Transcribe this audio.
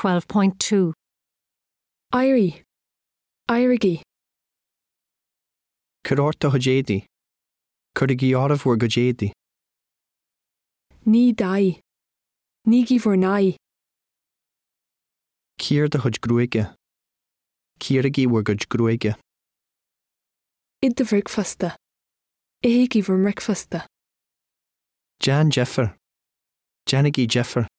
12.2. Éirigh. Éirígí. Cuir ort do chuid éadaí. Cuirigí oraibh bhur gcuid éadaí. Nigh d'aghaidh. Nígí bhur n-aghaidh. Cíor do chuid gruaige. Cíoraigí bhur gcuid gruaige. Ith do bhricfeasta. Ithigí bhur mbricfeasta. Déan deifir. Déanaigí deifir.